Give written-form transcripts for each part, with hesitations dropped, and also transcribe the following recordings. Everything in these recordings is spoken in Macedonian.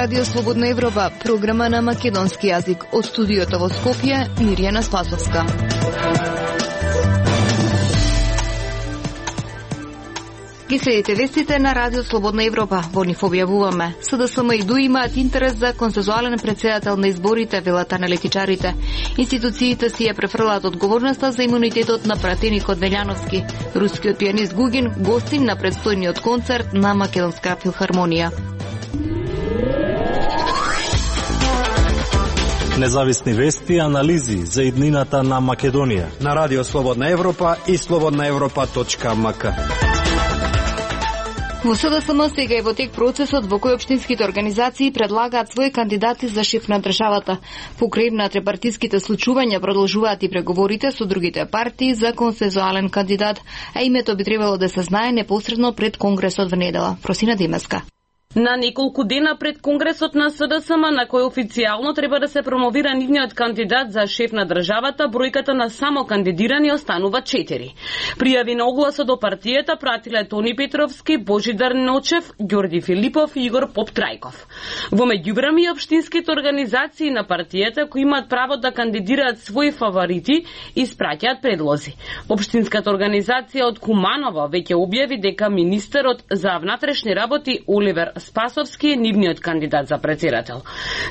Радио Слободна Европа, програма на македонски јазик. Од студиото во Скопје, Мирјана Спасовска. Ги следите вестите на Радио Слободна Европа. Во нив објавуваме: СДСМ и ДУИ имаат интерес за консензуален председател на изборите, велат аналитичарите. Институциите си ја префрлаат одговорноста за имунитетот на пратеникот Велјановски. Рускиот пианист Гугин гостин на предстојниот концерт на Македонска филхармонија. Независни вести и анализи за иднината на Македонија на Радио Слободна Европа и slobodnaevropa.mk. Во СДСМ сега е во тек процесот во кој општинските организации предлагаат своји кандидати за шеф на државата. Покрај на трепартиските случувања продолжуваат и преговорите со другите партии за консензуален кандидат, а името би требало да се знае непосредно пред Конгресот во недела. Просина Демеска. На неколку дена пред Конгресот на СДСМ, на кој официјално треба да се промовира нивниот кандидат за шеф на државата, бројката на само кандидирани останува 4. Пријави на огласот до партијата пратиле Тони Петровски, Божидар Ночев, Ѓорѓи Филипов и Игор Поптрајков. Во меѓувреме, општинските организации на партијата кои имаат право да кандидираат своји фаворити испраќаат предлози. Општинската организација од Куманово веќе објави дека министерот за внатрешни работи Оливер Спасовски е нивниот кандидат за председател.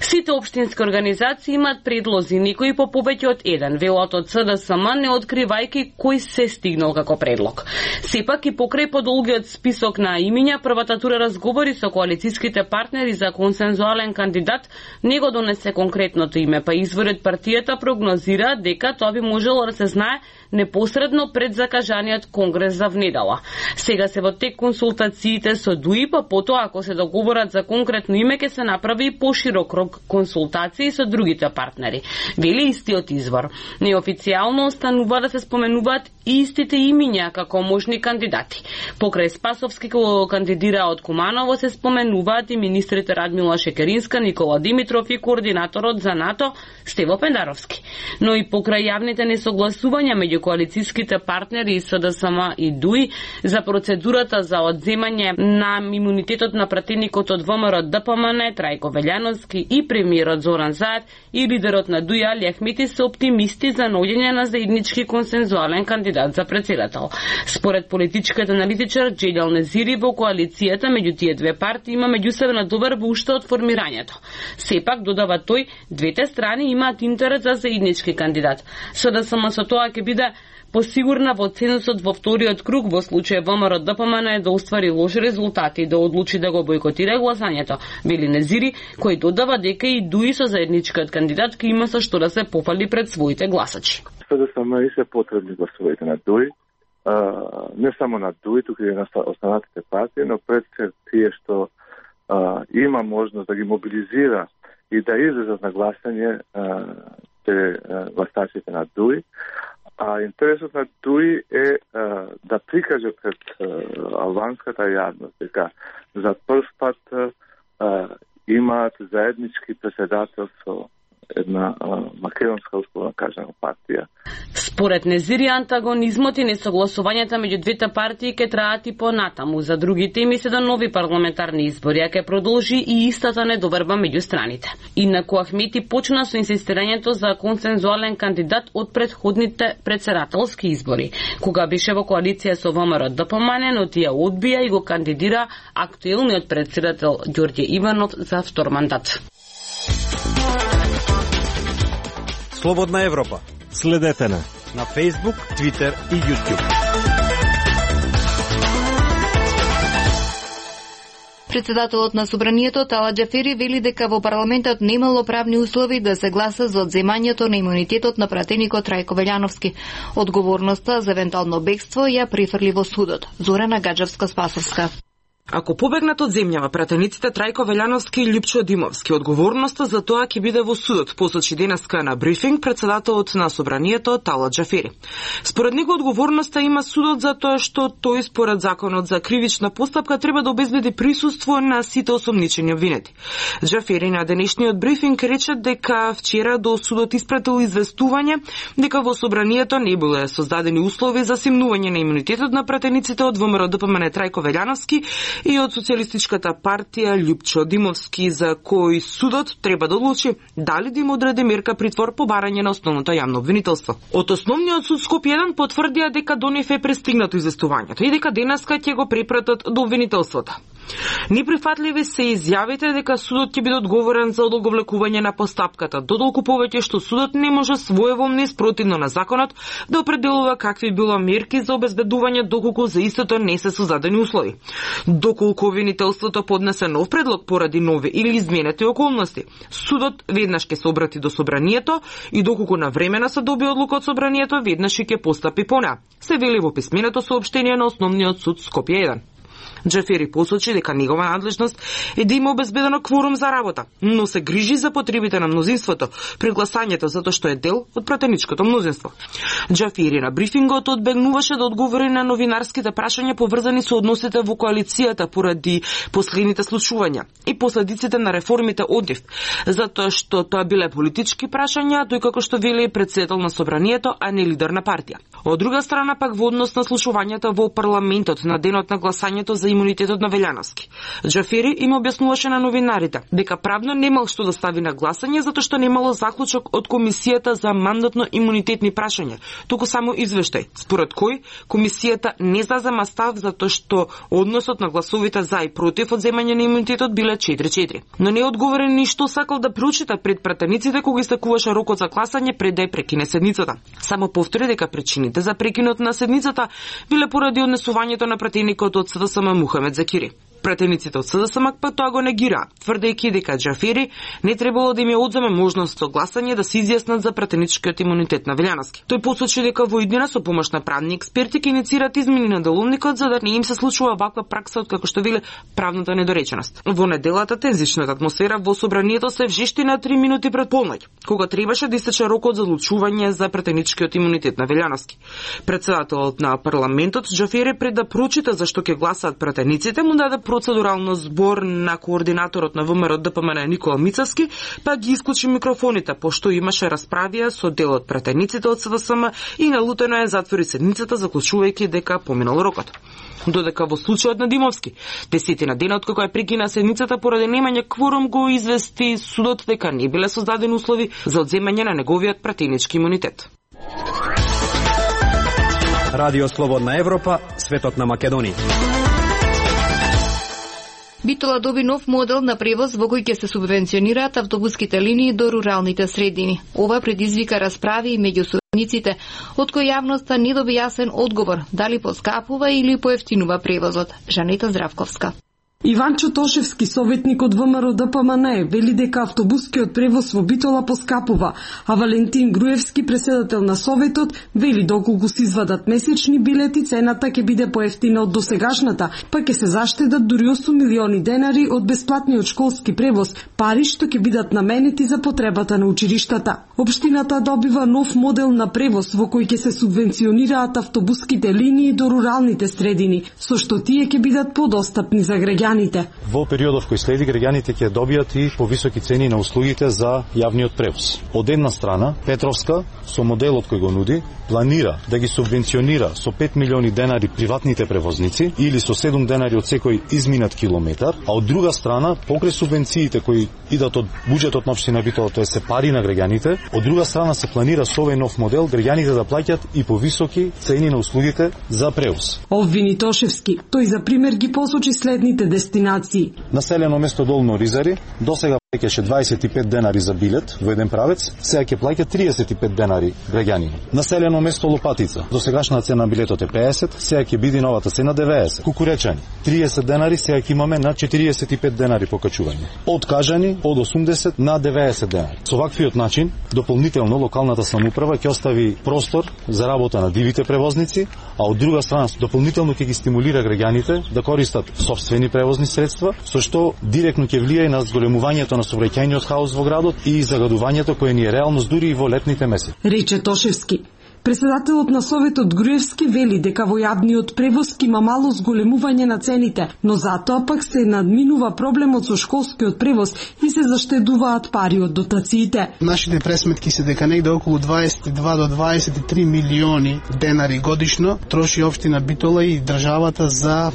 Сите општински организации имаат предлози, некои по повеќе од еден, велат од СДСМ, не откривајќи кој се стигнал како предлог. Сепак и покрај подолгиот список на имиња, првата тура разговори со коалицијските партнери за консензуален кандидат не го донесе конкретното име, па изворот партијата прогнозира дека тоа би можело да се знае непосредно пред закажаниот конгрес за внедела. Сега се во тек консултациите со ДУИ, па потоа ако се договорат за конкретно име ќе се направи и поширок крог консултации со другите партнери. Вели истиот извор. Неофицијално останува да се споменуваат истите имиња како можни кандидати. Покрај Спасовски кој кандидира од Куманово се споменуваат и министрите Радмила Шекеринска, Никола Димитров и координаторот за НАТО Стево Пендаровски. Но и покрај јавните несогласувања меѓу коалицијските партнери и СДСМ и ДУИ за процедурата за одземање на имунитетот на пратеникот од ВМРО ДПМН Трајко Велјановски и премиерот Зоран Заев и лидерот на ДУИ Али Ахмети се оптимисти за наоѓање на заеднички консензуален кандидат за председател. Според политичкиот аналитичар Джелјал Незири, во коалицијата меѓу тие две партии има меѓусебна доверба уште од формирањето. Сепак, додава тој, двете страни имаат интерес за заеднички кандидат. СДСМ со тоа ќе биде посигурна во цензусот во вториот круг во случај ВМРО ДПМН да оствари лоши резултати и да одлучи да го бојкотира гласањето, вели Незири, кој додава дека и ДУИ со заедничкиот кандидат ќе има со што да се пофали пред своите гласачи. СДСМ и се потребни гласовите на ДУИ, не само на ДУИ, туку и на останатите партии, но пред се тие што има можност да ги мобилизира и да излезат на гласање гласачите на ДУИ. А интересот на ДУИ е да прикаже пред албанската јавност дека за прв пат имаат заеднички председател со една македонска условно кажана партија. Според Незири, антагонизмот и несогласувањата меѓу двете партии ќе траат и понатаму. За други теми се да нови парламентарни избори, а ќе продолжи и истата недоверба меѓу страните. Инаку Ахмети почна со инсистирањето за консензуален кандидат од претходните председателски избори, кога беше во коалиција со ВМРО ДПМН, но тие одбија и го кандидира актуелниот председател Ѓорѓе Иванов за втор мандат. Слободна Европа. Следете на Facebook, Twitter и YouTube. Председателот на Собранието Тала Џафери вели дека во парламентот немало правни услови да се гласа за одземањето на имунитетот на пратеникот Трајко Велјановски. Одговорноста за евентуално бегство ја префрли во судот. Зорана Гаджевска-Спасовска. Ако побегнат од земјава пратениците Трајко Велјановски и Љупчо Димовски, одговорноста за тоа ќе биде во судот, посочи денеска на брифинг председателот на Собранието Тала Џафери. Според него одговорноста има судот за тоа што тој според законот за кривична постапка треба да обезбеди присуство на сите осомничени обвинети. Џафери на денешниот брифинг рече дека вчера до судот испратил известување дека во Собранието не биле создадени услови за симнување на имунитетот на пратениците од ВМРО ДПМН Трајко Велјановски и од Социјалистичката партија Љупчо Димовски, за кој судот треба да одлучи дали да им одреди мерка притвор по барање на основното јавно обвинителство. Од Основниот суд Скопје 1 потврдија дека до нив е пристигнато известувањето и дека денеска ќе го препратат до обвинителството. Неприфатливи се изјавите дека судот ќе биде одговорен за одолговлекување на постапката, додолку повеќе што судот не може своеволно и спротивно на законот да определува какви било мерки за обезбедување доколку за истото не се создадени услови. Доколку обвинителството поднесе нов предлог поради нови или изменети околности, судот веднаш ќе се обрати до собранието и доколку навремено се добие одлука од собранието, веднаш ќе постапи по неа, се вели во писменото соопштение на Основниот суд Скопје 1. Џафери посочи дека негова надлежност е да има обезбедено кворум за работа, но се грижи за потребите на мнозинството при гласањето затоа што е дел од пратеничкото мнозинство. Џафери на брифингот одбегнуваше да одговори на новинарските прашања поврзани со односите во коалицијата поради последните случувања и последиците на реформите од нив, затоа што тоа биле политички прашања, тој како што вели претседател на собранието, а не лидер на партија. Од друга страна пак во однос на слушувањата во парламентот на денот на гласањето за имунитетот на Велјановски, Џафери им објаснуваше на новинарите дека правно немал што да стави на гласање затоа што немало заклучок од комисијата за мандатно-имунитетни прашања, туку само извештај, според кој комисијата не зазема став затоа што односот на гласовите за и против од земање на имунитетот биле 4-4. Но не одговори ни што сакал да прочита пред пратениците кога истекуваше рокот за гласање пред да ја прекине седницата. Само повтори дека причините за прекинот на седницата биле поради однесувањето на пратеникот од СДСМ Мухамед Закири. Пратениците од СДСМ па тоа го негира, тврдејќи дека Џафери не требало да им ја одземе можност со гласање да се изјаснат за пратеничкиот имунитет на Велјановски. Тој посочи дека во иднина со помош на правни експерти ќе иницират измени на деловникот за да не им се случува ваква пракса од како што вели правната недореченост. Во неделата тензичната атмосфера во собранието се вжешти на 3 минути пред полноќ, кога требаше да истече рокот за одлучување за пратеничкиот имунитет на Велјановски. Председателот на парламентот Џафери пред да прочита зашто ќе гласаат пратениците му даде процедурално збор на координаторот на ВМРО ДПМН Никола Мицевски, па ги исклучи микрофоните, пошто имаше расправија со дел од пратениците од СДСМ и налутено е затвори седницата, заклучувајќи дека поминал рокот. Додека во случајот на Димовски, 10 на денот кога ја прекина седницата поради немање кворум, го извести судот дека не биле создадени услови за одземање на неговиот пратенички имунитет. Радио Слободна Европа, светот на Македонија. Битола доби нов модел на превоз во кој ќе се субвенционираат автобуските линии до руралните средини. Ова предизвика расправи меѓу сојузниците, од кои јавноста не доби јасен одговор дали поскапува или поевтинува превозот. Жанета Здравковска. Иванчо Тошевски, советник од ВМРО ДПМН, вели дека автобускиот превоз во Битола поскапува, а Валентин Груевски, председател на советот, вели доколку се извадат месечни билети, цената ќе биде поевтина од досегашната, па ќе се заштедат дури 8 милиони денари од бесплатниот школски превоз, пари што ќе бидат наменети за потребата на училиштата. Општината добива нов модел на превоз во кој ќе се субвенционираат автобуските линии до руралните средини, со што тие ќе бидат подостапни за граѓаните. Во периодов кој следи, граѓаните ќе добијат и повисоки цени на услугите за јавниот превоз. Од една страна, Петровска, со моделот кој го нуди, планира да ги субвенционира со 5 милиони денари приватните превозници или со 7 денари од секој изминат километар, а од друга страна, покрај субвенциите кои идат од буџетот на општина Битола, тоа се пари на граѓаните, од друга страна се планира со овој нов модел граѓаните да плаќаат и повисоки цени на услугите за превоз. Обвини Тошевски, тој за пример ги посочи следните дестинации. Населено место Долно Ризари, досега плаќаше 25 денари за билет во еден правец, сега ќе плаќа 35 денари граѓани. Населено место Лопатица, досегашна цена на билетот е 50, сега ќе биде новата цена 90. Кукуречани, 30 денари, сега ќе имаме на 45 денари покачување. Од Кажани од 80 на 90 денари. Со ваквиот начин, дополнително локалната самоуправа ќе остави простор за работа на дивите превозници, а од друга страна дополнително ќе ги стимулира граѓаните да користат сопствени превозни средства, со што директно ќе влијае на зголемувањето на сообраќајниот хаос во градот и загадувањето кое ни е реалност дури и во летните месеци. Рече Тошевски. Председателот на Советот Груевски вели дека во јавниот превоз има мало зголемување на цените, но затоа пак се надминува проблемот со школскиот превоз и се заштедуваат пари од дотациите. Нашите пресметки се дека негде околу 22 до 23 милиони денари годишно троши општина Битола и државата за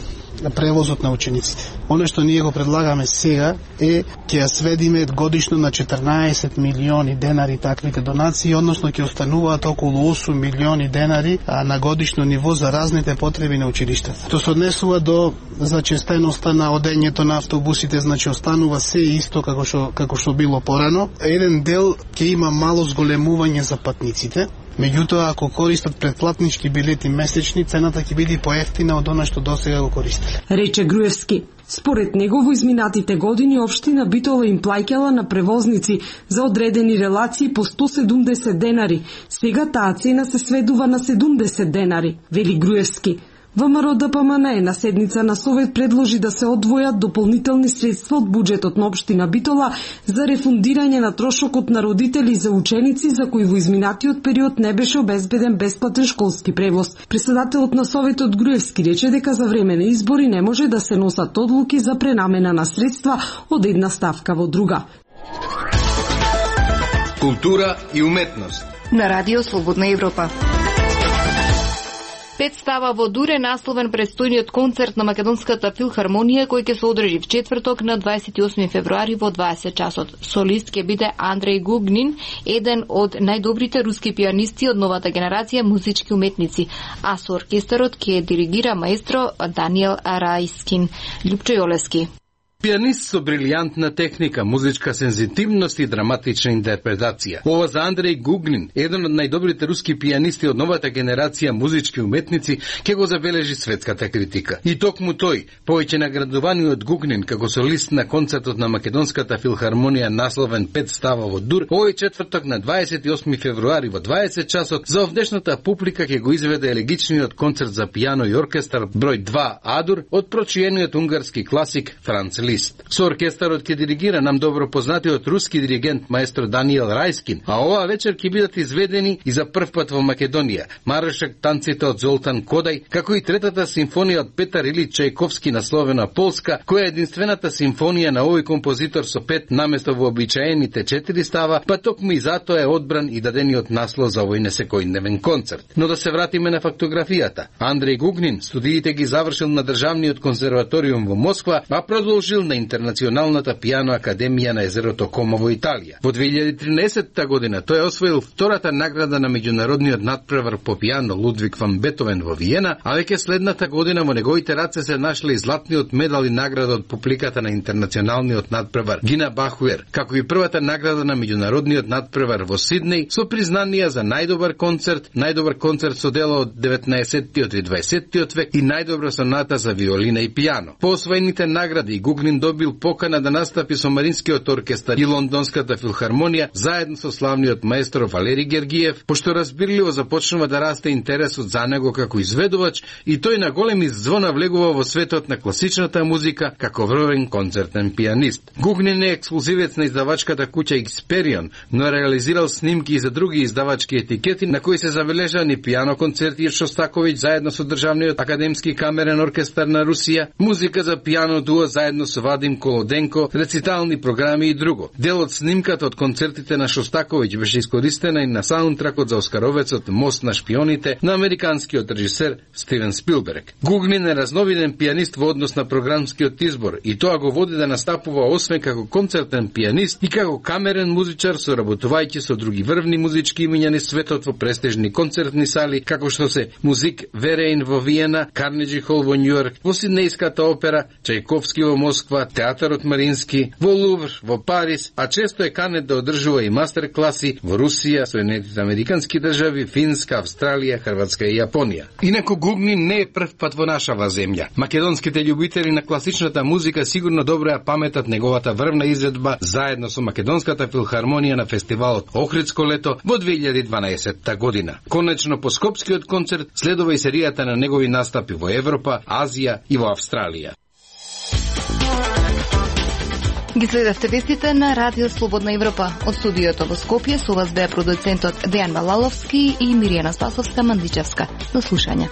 превозот на учениците. Оно што ние го предлагаме сега е ќе ја сведиме годишно на 14 милиони денари таквите донации, односно ќе остануваат околу 8 милиони денари на годишно ниво за разните потреби на училиштата. Тоа се однесува до зачестеноста на одењето на автобусите, значи останува се исто како што било порано. Еден дел ќе има мало зголемување за патниците. Меѓутоа, ако користат претплатнички билети месечни, цената ќе биде поевтина од она што досега го користеле. Рече Груевски. Според него во изминатите години општина Битола им плаќала на превозници за одредени релации по 170 денари. Сега таа цена се сведува на 70 денари, вели Груевски. ВМРО ДПМН на седница на Совет предложи да се одвојат дополнителни средства од буџетот на општина Битола за рефундирање на трошокот на родители за ученици за кои во изминатиот период не беше обезбеден бесплатен школски превоз. Председателот на Советот Груевски рече дека за време на избори не може да се носат одлуки за пренамена на средства од една ставка во друга. Култура и уметност. На Радио Слободна Европа. Представа во Дур е насловен престојниот концерт на Македонската филхармонија кој ќе се одржи в четврток на 28 февруари во 20 часот. Солист ќе биде Андреј Гугнин, еден од најдобрите руски пианисти од новата генерација музички уметници, а со оркестарот ќе диригира маестро Даниел Рајскин. Љупчо Јолески. Пианист со брилијантна техника, музичка сензитивност и драматична интерпретација. Ова за Андреј Гугнин, еден од најдобрите руски пианисти од новата генерација музички уметници, ќе го забележи светската критика. И токму тој, повеќе наградуваниот Гугнин како солист на концертот на Македонската филхармонија насловен Пет става во Дур, овој четврток на 28 февруари во 20 часот за овдешната публика ќе го изведе елегичниот концерт за пијано и оркестар број 2 Адур од прочиениот унгарски класик Франц Лист. Со оркестарот ќе диригира нам добро познатиот руски диригент маестро Даниел Рајскин, а оваа вечер ќе бидат изведени и за прв пат во Македонија маршак танците од Золтан Кодај, како и третата симфонија од Петар Илич Чајковски насловена Полска, која е единствената симфонија на овој композитор со 5 наместо вообичаените 4 става, па токму и затоа е одбран и дадениот наслов за овој несекојдневен концерт. Но да се вратиме на фактографијата. Андреј Гугнин студиите ги завршил на Државниот конзерваториум во Москва, а продолжил на Интернационалната пијано академија на езерото Комо во Италија. Во 2013 година тој освоил втората награда на меѓународниот надпревар по пијано Лудвиг ван Бетовен во Виена, а веќе следната година во неговите раце се нашле и златниот медал и награда од публиката на Интернационалниот надпревар Гина Бахуер, како и првата награда на меѓународниот надпревар во Сиднеј со признанија за најдобар концерт со дело од 19-тиот и 20-тиот век и најдобра соната за виолина и пијано. По освоените награди Гугнин добил покана да настапи со Маринскиот оркестар и Лондонската филхармонија заедно со славниот маестро Валери Гергиев, пошто разбирливо започнува да расте интересот за него како изведувач и тој на големи звона влегува во светот на класичната музика како врвен концертен пианист. Гугнин е ексклузивец на издавачката куќа Xperion, но реализирал снимки и за други издавачки етикети на кои се забележани пијано концерти од Шостаковиќ заедно со Државниот академски камерен оркестар на Русија, музика за пијано дуо заедно со Вадим Колоденко, рецитални програми и друго. Дел од снимката од концертите на Шостаковиќ беше искористена и на саундтракот за оскаровецот Мост на шпионите на американскиот режисер Стивен Спилберг. Гугнин е разновиден пианист во однос на програмскиот избор и тоа го води да настапува освен како концертен пианист и како камерен музичар, соработувајќи со други врвни музички имиња на светот во престижни концертни сали, како што се Музик Вереин во Виена, Карнеджи Хол во Њујорк, во Сиднејската опера, Чајковски во Москва, Театарот Марински, во Лувр, во Париз, а често е канет да одржува и мастер-класи во Русија, Соединетите американски држави, Финска, Австралија, Хрватска и Јапонија. Инаку Гугнин не е прв пат во нашава земја. Македонските љубители на класичната музика сигурно добро ја паметат неговата врвна изведба заедно со Македонската филхармонија на фестивалот Охридско лето во 2012 година. Конечно по Скопскиот концерт следува и серијата на негови настапи во Европа, Азија и во Австралија. Ги следевте вестите на Радио Слободна Европа. Од студиото во Скопје со вас беа продуцентот Дејан Балаловски и Миријана Спасовска-Мандичевска. До слушање.